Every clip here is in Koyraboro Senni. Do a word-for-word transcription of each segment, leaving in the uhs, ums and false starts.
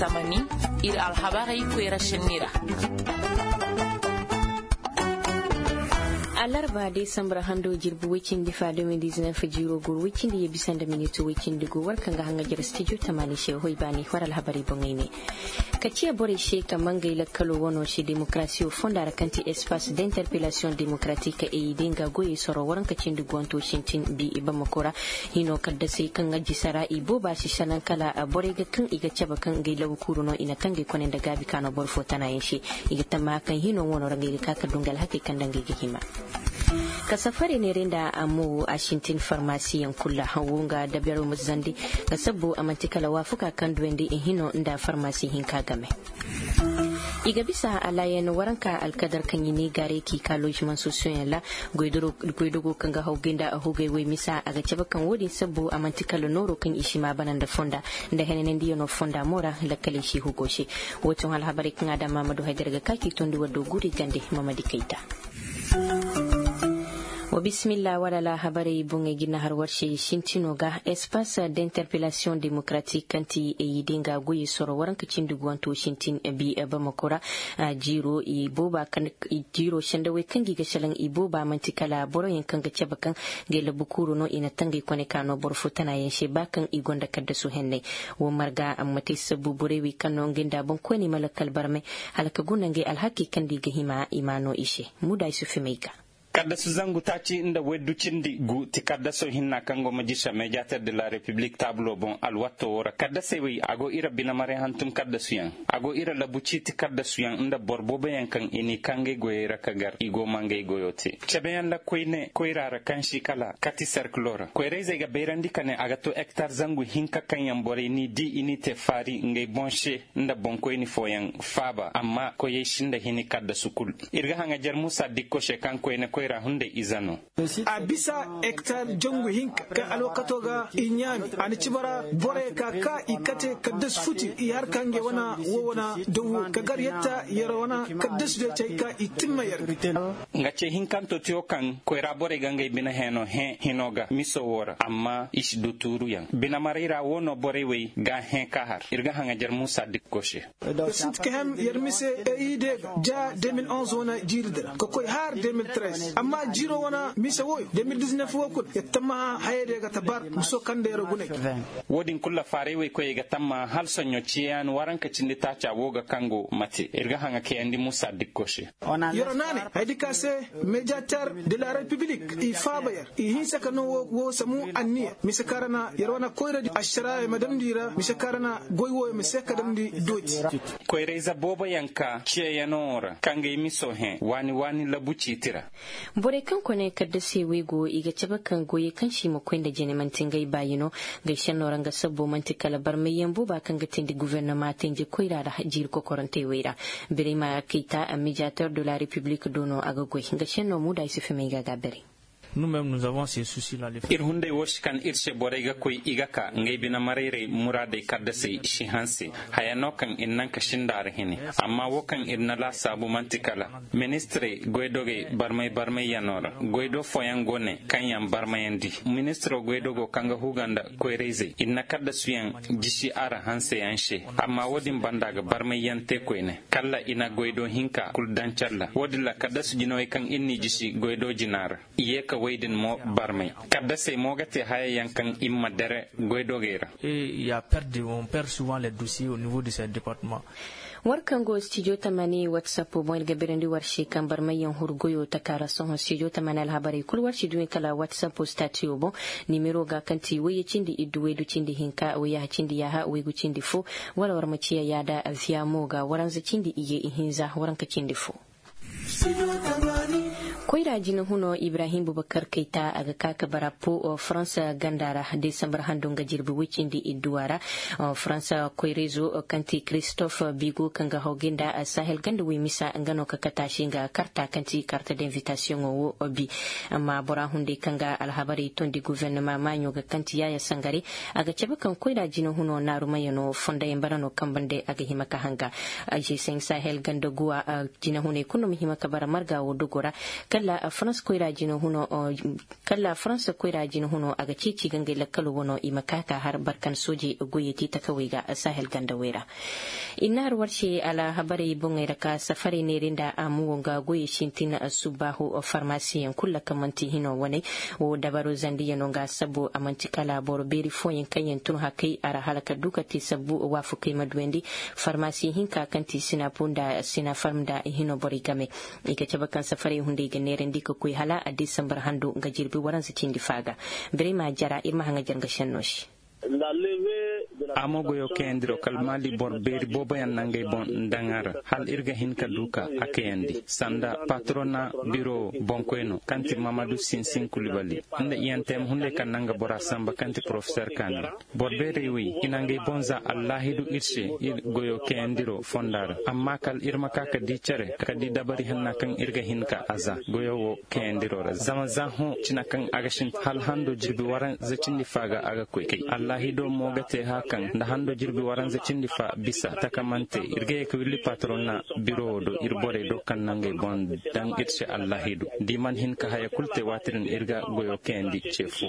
Tamani, ir alhabarey koyra senni ra. Alarba desambar hando jirbi woy cindi fa deux mille dix-neuf jiiro goro woy cindi ye bisa nda miniti woy cindi go war kaŋ ga haŋajer studio tamani se hoy baani war alhabarey boŋey ne. Ka ciya borey se ka mangay lakkalo wano se demokarasiyo fonda ra kaŋ ti espace d'interpellation démocratique e i de nga goyey soro waranka cindi guwanto sintin bi i bamako ra. Hino kaddasey kaŋ ga jisara i booba si sanaŋ kala borey ga kaŋ i ga cabe kaŋ ngey labu kuuru no i na tangey kone nda gaabi ka no boro fo tanayaŋ se. I ga tammaha kaŋ hino wano ra ngey ga ka ka du nga alhakey kaŋ nda ngey ga hima. Ka safarey neeray nda a mo a sintin farmasiyaŋ kul ra wo nga dabero ma zandi. Nga sabbu a man'ti kala waafuka kaŋ duwandi i hino nda farmasi hinka game. I ga bisa alaayan waranka alkadar kaŋ i ne gaaray k'i ka loosimaŋ sosiyoŋ ra. Goydogo kaŋ ga haw gay nda a hugay way misa a ga cabe kaŋ wo-din sabbu a man'ti kala nooro kaŋ i si maa bana nda fonda nda henanandiyaŋo fonda mo ra. Lakkaley si hugo se. Wo ti hõ alhabarey kaŋ a daŋ maamadu haydar ga ka k'i tondi waddo guri gande. Mamadi kayta. Wa bisimilla wala alhabarey boŋey ga i na har war se sintino ga espace d'interpellation démocratique kaŋ ti e i de nga goyey soro waranka cindi guwanto sintin bi bamako ra. Jiiro i booba kaŋ jiiro sendawey kaŋ ga i ga salaŋ i booba man'ti kala boroyaŋ kaŋ ga cabe kaŋ ngey labu kuuru no i na tangey kone ka no boro fo tanayaŋ se ba kaŋ i gonda kaddasu henney. Wo marga amma te sabbu borey wey kaŋ no ngey nda boŋkoyney ma lakkal barmay hala ka guna ngey alhakey kaŋ nda i ga hima i ma no i se. Muda isufi may ga. Kaddasu zangu taaci nda waydu cindi gu ti kaddaso hinna kaŋ go ma jisa mediater de la republik taabulo boŋ alwatto wo ra kaddasey wey a go ira binamaray hantum kaddasuyaŋ. A go ira labu ciiti kaddasuyaŋ nda boro booboyaŋ kaŋ i n'i kaa ngey goyey ra ka gar i go ma ngey goyo te cabeyaŋ ra koyne koyra ra kaŋ si kala kati serkilo ra koyrayzey ga bayrandi ka ne a ga to ektar zangu hinka kaŋ yaŋ borey n'i di i n'i te faari ngey boŋ se nda boŋkoyni fooyaŋ faaba amma koyey sinda hini kaddasu kul. Ir ga haŋajer muusa dikko se kaŋ koyne koyra hunday ize no. A bisa ektar jangu hinka kaŋ alwakato ga i ɲaami a na ci bara borey ka ka i kate kaddasu futi i har ka ngey wana wo wana dawo ka gar yatta yar wana kaddasu day cay ka i timma yar ga. Nga ce hinkanto tiyo kaŋ koyra borey ga ngey bine heeno hẽ hino ga miso wo ra amma i si du tuuruyaŋ binamaray ra wo no borey wey ga hẽ ka har ir ga haŋajer muusa dikko se. Sinti ka hem yer mise e i de ga ja deux mille onze wane jiiri di ra ka koy har deux mille treize amma jiiro wane mise woy deux mille dix-neuf wo kul yer tammaha hayey de ga ta bar muso kaŋ da yer gunay. Wo-din kul ra faaray woy koyey ga tammaha hala soɲõ ciyayaŋ waranka cindi taaca wo ga kaŋ go mate ir ga haŋa kayandi muusa dikko se. Yer naanay haydi ka se mediater de la republik i faaba yer i hinsa ka no wo samu anniya mise kaŋ ra na yer wane koyradi ašaraaya ma damndi i ra mise kaŋ ra na goy wooyo ma se ka damndi dooti. Koyra-ize booboyaŋ ka ciyayaŋo ra ka ngey miso hẽ waani waani labu ciiti ra. Borey kaŋ kone kaddasey wey go i ga cabe kaŋ goyey kaŋ se i ma koy nda jene man'ti ngey baayi no. Ngey senno ra nga sabbo man'ti kala barmayyaŋ booba kaŋ ga teendi gofornoma teenje koyra ra jiiri kokorantey wey ra. Birayma kayta mediater de la republik do no a ga goy nga senno muuda ay si fimay ga a ga birey. Ir hunday wo si kan ir se borey ga koy i ga ka ngey bine marayray muraadey kaddasey si hanse. Haya no kaŋ ir naŋ ka sinda a ra hine. Amma wo kaŋ ir na laasaabu man'ti kala ministirey goydogey barmay barmayyano ra. Goydo fooyaŋ go ne kaŋ yaŋ barmayandi ministiro goydogo kaŋ ga huga nda koyrayzey ir na kaddasuyaŋ jisi a ra hanseyaŋ se. Amma wo-din banda ga barmayyaŋ te koyne kala i na goydo hinka kul daŋ calla wo-din ra kaddasu jinawey kaŋ ir n'i jisi goydo jina ra. I ye ka wey din mo barmay kaddasey mo ga te hayayaŋ kaŋ ir ma dere goydogey ra. War kaŋ go studio tamani whatsapp boŋ ir ga birandi war se kaŋ barmayyaŋ huru goyo taka ra sohõ studio tamani alhabarey kul war si duɲe kala whatsapp statiyo boŋ. Nimero ga kaŋ ti wayye cindi iddu waydu cindi hinka wayyaha cindi yaaha waygu cindi fo. Wala war ma ciya yaada aviya mo ga waranza cindi iyye ihinza waranka cindi fo. Koyra jina huno ibrahim bubakar kayta a ga ka ka bara po faransa ganda ra desambar hando nga jirbi woy cindi idduwa ra. Faransa koyrezo kaŋ ti christophe bigo kaŋ ga hawgay nda sahel ganda woy misa nga no ka kata se nga karta kaŋ ti karta d'invitasiyoŋo wo bi. Amma bora hunday kaŋ ga alhabarey tondi guvernema maaɲo ga kaŋ ti yaaya sangare. A ga cabe kaŋ koyra jina huno naarumayano fondayaŋ bara no kaŋ bande a ga hima ka hanga. G cinq sahel ganda guwa. Jinahuney kulu no ma hima ka bara marga wo dogo ra. Farans koyra jina huno a ga ceeci ga ngey lakkalo wano i ma ka ka har barkan soojey goyey te takawey ga sahel gandawey ra. I na har war se alhabarey boŋey ra ka safarey neeri nda a mo wo nga goyey sintin subbaahu farmasiyaŋ kulu kaŋ man'ti hino waney. Wo dabaro zandiyano nga sabu a man'ti kala boro beeri fooyaŋ kaŋ yaŋ tun hakay a ra hala ka du ka te sabu waafakey ma duyandi. Farmasi hinka kaŋ ti sinapu nda sinafarm nda i hino borey game. I ga cabe kaŋ safarey hunday ga neerandi ka koy hala a desambar hando nga jirbi waranza cindi fa ga. Birey ma jara ir ma haŋajar nga senno se. A mo goyo kayandiro kala maali boro beeri booboyaŋ na ngey boŋ daŋ a ra hala ir ga hin ka du ka a kayandi sanda patrona biro boŋkoyno kaŋ ti mamadu sinsin kulibali nda iyante ma hunday kaŋ na nga bora samba kaŋ ti porofesor kaani. Boro beerey wey i na ngey boŋ za allaahidu ir se ir goyo kayandiro fonda ra amma kala ir ma ka ka di cere ka di dabari hanna kaŋ ir ga hin ka a za goyo wo kayandiro ra zama za hõ cina kaŋ a ga sinti hala hando jirbi waranza cindi fa ga a ga koy kay allaahido mo ga te hã kaŋ nda hando jirbi waranza cindi fa bisa takamante ir ga ye ka willi patronna biro wo do ir borey do kaŋ na ngey boŋ daŋ ir se allaahidu da i mana hin ka haya kulu te waati din ir ga goyo kayandi ce fo.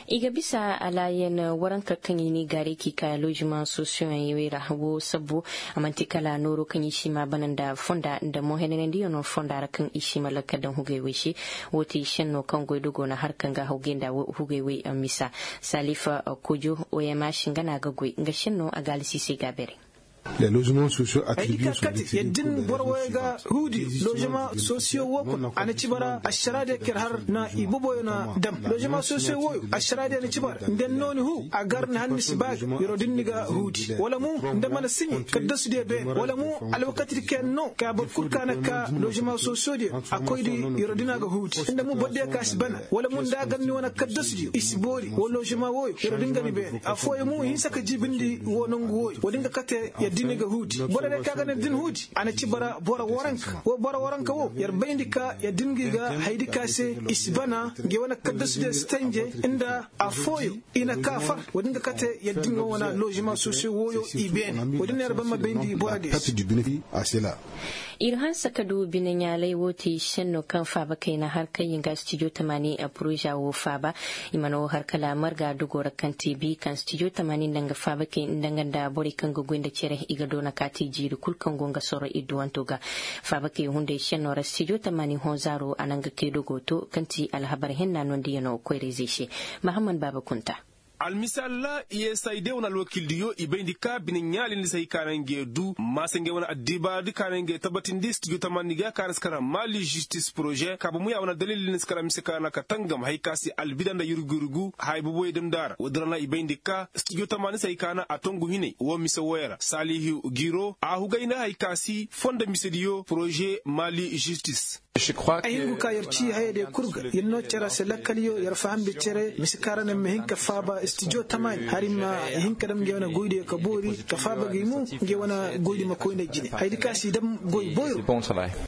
I ga bisa alaayan waranka kaŋ i n'i gaaray k'i ka lozimaŋ sosiyoŋey ra wo sabbo. A man'ti kala nooro kaŋ i si ma bana nda fonda nda mo henanandiyaŋo fonda ra kaŋ i si ma lakka daŋ hugey wey se. Wo ti senno kaŋ goydogo na har kaŋ ga hawgay nda hugey wey misa. Salifa kojo oyama si nga no a ga goy nga senno a ga alsiisey ga beeray. Haydi ka kate yadda ni boro wooyo ga huudi lozema sosiyo wo kuna a na ci bara ašaraadiyo kaŋ yer har na i boboyo na dam. Lozema sosiyo wooyo ašaraadiyo na ci bara nda yer no ni huu a gar ni har ni si ba ga yeroo da ni ga huudi wala mo nda mana siɲe kaddasudiyo beene wala mo alwakatidi kaŋ yer no ka boro kul ka na ka lozema sosiyodiyo a koydi yeroo da ni a ga huudi nda mo borodiyo ka si bana wala mo nda a gar ni wane kaddasudiyo i si boori wala lozema wooyo yeroo da ni ga ni beene affooyaŋ mo i hinsa ka jiibindi woo nongu wooyo woodin ga kate yadda ni ga huudi boro day ka ga ni yadda ni huudi a na ci bara boro waranka woo boro waranka woo yer bayndi ka yadda ni ga i ga haydi ka se i si bana nga i wane kaddasudiyo si tanje nda affooyaŋ i na ka far woodin ga kate yadda ni ga wane lozema sosiyo wooyo i beene woodin no yer ban ma bayndi borodiyo se. Ir hanse ka du bineɲaalay woo ti senno kaŋ faabakey na har kaŋ yer ga stijo tamaani poroza woo faaba. I mana woo har kala marga dogoo ra kaŋ te bi kaŋ stijo tamaani nda nga faabakey nda nga nda borey kaŋ ga goy nda cere i ga doona ka te jiiri kul kaŋ go nga soro idduwanto ga. Faabakey hunday senno ra stijo tamaani hõ zaaro a na nga kay dogoo to kaŋ ti alhabar henna nondiyano koyra-izey se. Mahammad baaba kunta. Almisaal ra i ye sayde wane alwakiildiyo i bayndi ka bine ɲaalindi se hay ka na ngey du maasa ngey wane addibaaradi ka na ngey tabatindi stijo tamaani ga ka na si kara maali žistis poroze kaaba muya wane dalil ni si kara mise ka na ka tangam hay ka si albida nda yurgu-yurgu haya boboyey damndi a ra woodin ra na i bayndi ka stijo tamaani se hay ka na a tongu hinay woo mise wooyo ra saalihu giro a hugay nda hay ka si fondo misediyo poroze maali žistis. Ay hin ga ka yer ci hayadiyo kul ga yer no cere se lakkaliyo yer faham nda cere mise kaŋ ra no yer ma hin ka faaba stijo tamaani hari ma hin ka dam ngey wane goydiyo ka boori ka faaba ga i mo ngey wane goydi ma koy nda jine hayadi ka si dam goy boyro.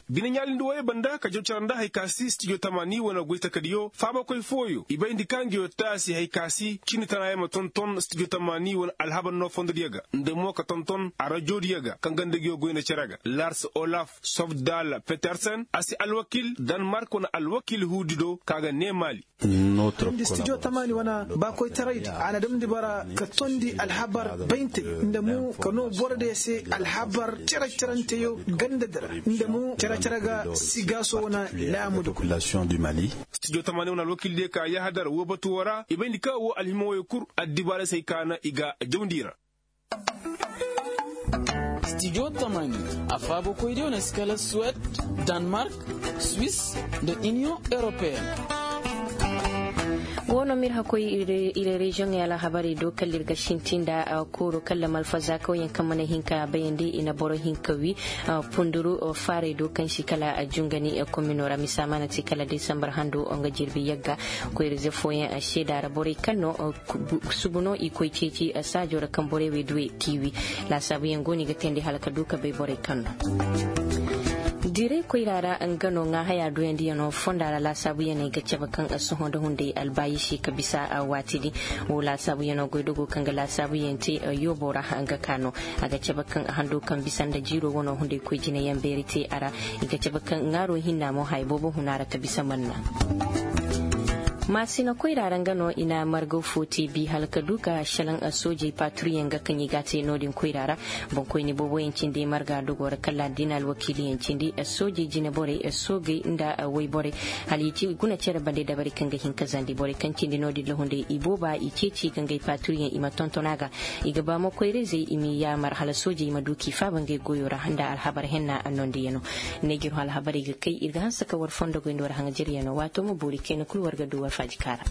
Bine ɲaalindi wooyo banda ka jaw cere nda hay ka si stijo tamaani wane goy takadiyo faabakoy fooyo i bayndi ka ngeyo taasi hay ka si cindi tanaayaŋ ma tonton stijo tamaani wane alhabar no fondodiyo ga nda mo ka tonton arajodiyo ga kaŋ ga nda ngeyo goy nda cere ga lars olaf sofdal petersen a si alwakiil danmark wane alwakiil huudi do ka ga nee maali. Nda stijo tamaani wane baakoytaraydi a na damndi bara ka tondi alhabar bayntey nda mo ka noo borodiyo se alhabar cere-ceranteyo gandadi ra nda mo cere-cere ga sigaaso wane laamudi. Stijo tamaani wane alwakiildiyo ka yahadar woo batu woo ra i bayndi ka woo alhima wooyo kul addibaarey se hay ka na i ga jawndi i ra. Stijo tamaani a faabakoydiyo na si kala suwed, danmark, swis, nda iniyoŋ europeen. Woo no ma ir hakkoy ir reziyoŋey alhabarey do kala ir ga sinti nda kooro kala malfazaakawyaŋ kaŋ mana hin ka bayandi i na boro hin ka wi punduru faarey do kaŋ si kala jungani komino ra misa mana te kala desambar hando nga jirbi yagga. Koyra-ize fooyaŋ seeda ra borey kaŋ no subu no i koy ceeci saajo ra kaŋ borey wey duwey k'i wi. Laasaabuyaŋ go no i ga teendi hala ka du ka bay borey kaŋ no. Diray koyra ra nga no ŋaahayaa duyandiyanoo fonda ra laasaabuyaney ga cabe kaŋ sohõ nda hunday albaayiši ka bisa waatidi. Woo laasaabuyanoo goydogo kaŋ ga laasaabuyaŋ te yooboo ra nga ka no. A ga cabe kaŋ hando kaŋ bisa nda jiiroo wanoo hunday koy jinayaŋ beeri te a ra. I ga cabe kaŋ ŋaaroo hinna mo haya boobo huna ra ka bisa manna. Maasina koyra ra nga no i na margaw fo te bi hala ka du ka šelaŋ soojey paaturiyaŋ ga kaŋ i g'a te no-din koyra ra. Boŋkoyni booboyaŋ cindi marga dogoo ra kala da i na alwakiiliyaŋ cindi soojey jineborey soogey nda wayborey. Hala i ci guna cere bande dabari kaŋ ga hin ka zandi borey kaŋ cindi no-din ra hunday i booba i ceeci ga ngey paaturiyaŋ i ma tonton a ga. I ga ba mo koyra-izey i m'i yaamar hala soojey ma du k'i faaba ngey goyoo ra nda alhabar henna nondiyanoo. Neeji ir hõ alhabarey ga kay ir ga hanse ka war fondo goy nda war haŋajeryanoo waatoo ma boori kayna kul war ga du war faaji kaara.